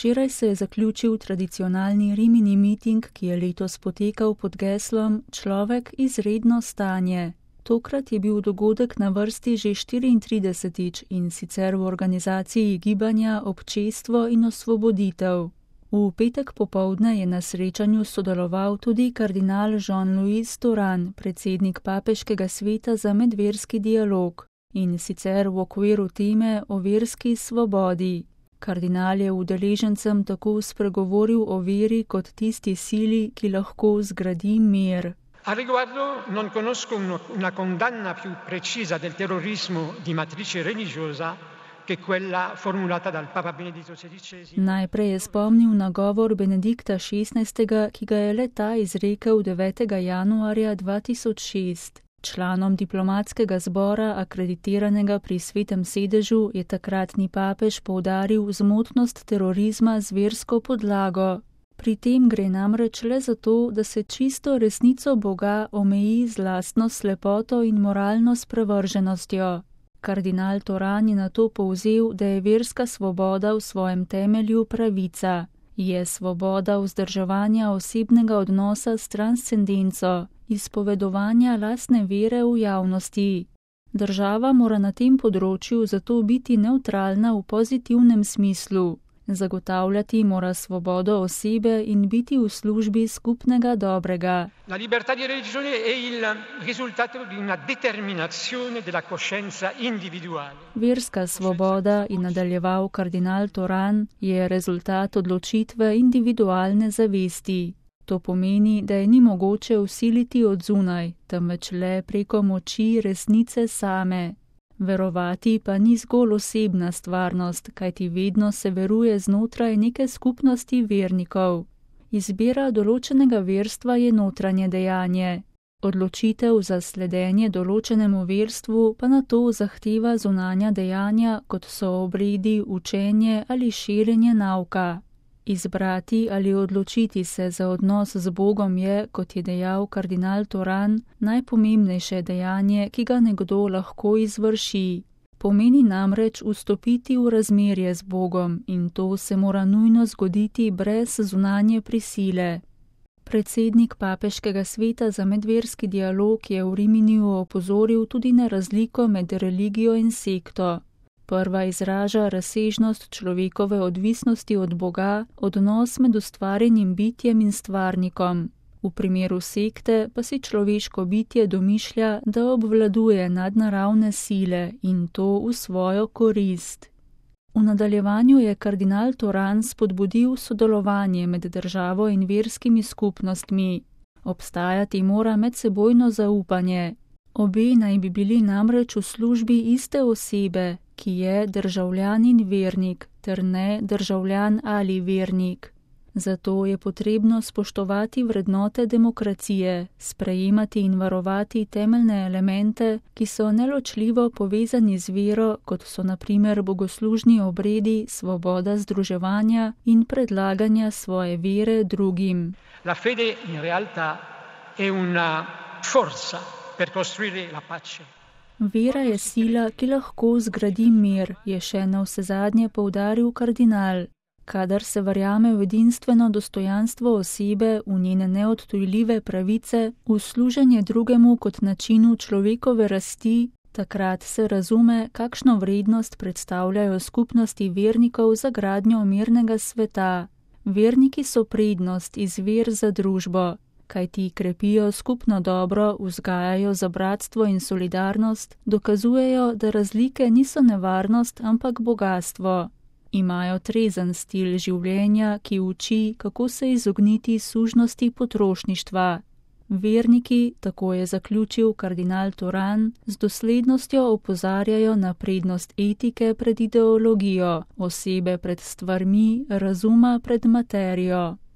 Včeraj se je zaključil tradicionalni Rimini miting, ki je letos potekal pod geslom Človek izredno stanje. Tokrat je bil dogodek na vrsti že 34. in sicer v organizaciji gibanja Občestvo in osvoboditev. V petek popoldne je na srečanju sodeloval tudi kardinal Jean-Louis Touran, predsednik Papeškega sveta za medverski dialog, in sicer v okviru teme o verski svobodi. Kardinal je udeležencem tako spregovoril o veri kot tisti sili, ki lahko zgradi mir. A riguardo non conosco una condanna più precisa del terrorismo di matrice religiosa che quella formulata dal Papa Benedetto XVI. Najprej je spomnil na govor Benedikta XVI, ki ga je le-ta izrekel 9. januarja 2006. Članom diplomatskega zbora, akreditiranega pri Svetem sedežu, je takratni papež poudaril zmotnost terorizma z versko podlago. Pri tem gre namreč le za to, da se čisto resnico Boga omeji z lastno slepoto in moralno sprevrženostjo. Kardinal Touran je nato povzel, da je verska svoboda v svojem temelju pravica. Je svoboda vzdrževanja osebnega odnosa s transcendenco, izpovedovanja lastne vere v javnosti. Država mora na tem področju zato biti nevtralna v pozitivnem smislu. Zagotavljati mora svobodo osebe in biti v službi skupnega dobrega. La libertà di religione è il risultato di una determinazione della coscienza individuale. Verska svoboda, in nadaljeval kardinal Touran, je rezultat odločitve individualne zavesti. To pomeni, da je ni mogoče vsiliti od zunaj, temveč le preko moči resnice same. Verovati pa ni zgolj osebna stvarnost, kajti vedno se veruje znotraj neke skupnosti vernikov. Izbira določenega verstva je notranje dejanje. Odločitev za sledenje določenemu verstvu pa nato zahteva zunanja dejanja, kot so obredi, učenje ali širjenje nauka. Izbrati ali odločiti se za odnos z Bogom je, kot je dejal kardinal Touran, najpomembnejše dejanje, ki ga nekdo lahko izvrši. Pomeni namreč vstopiti v razmerje z Bogom in to se mora nujno zgoditi brez zunanje prisile. Predsednik Papeškega sveta za medverski dialog je v Riminiju opozoril tudi na razliko med religijo in sekto. Prva izraža razsežnost človekove odvisnosti od Boga, odnos med ustvarjenim bitjem in stvarnikom. V primeru sekte pa si človeško bitje domišlja, da obvladuje nadnaravne sile in to v svojo korist. V nadaljevanju je kardinal Touran spodbudil sodelovanje med državo in verskimi skupnostmi. Obstajati mora medsebojno zaupanje. Obe naj bi bili namreč v službi iste osebe, ki je državljan in vernik, ter ne državljan ali vernik. Zato je potrebno spoštovati vrednote demokracije, sprejemati in varovati temeljne elemente, ki so neločljivo povezani z vero, kot so na primer bogoslužni obredi, svoboda združevanja in predlaganja svoje vere drugim. La fede in realtà è una forza per costruire la pace. Vera je sila, ki lahko zgradi mir, je še navsezadnje poudaril kardinal. Kadar se verjame v edinstveno dostojanstvo osebe, v njene neodtujljive pravice, v služenje drugemu kot načinu človekove rasti, takrat se razume, kakšno vrednost predstavljajo skupnosti vernikov za gradnjo mirnega sveta. Verniki so prednost, izvir za družbo, kajti krepijo skupno dobro, vzgajajo za bratstvo in solidarnost, dokazujejo, da razlike niso nevarnost, ampak bogastvo. Imajo trezen stil življenja, ki uči, kako se izogniti sužnosti potrošništva. Verniki, tako je zaključil kardinal Touran, z doslednostjo opozarjajo na prednost etike pred ideologijo, osebe pred stvarmi, razuma pred materijo.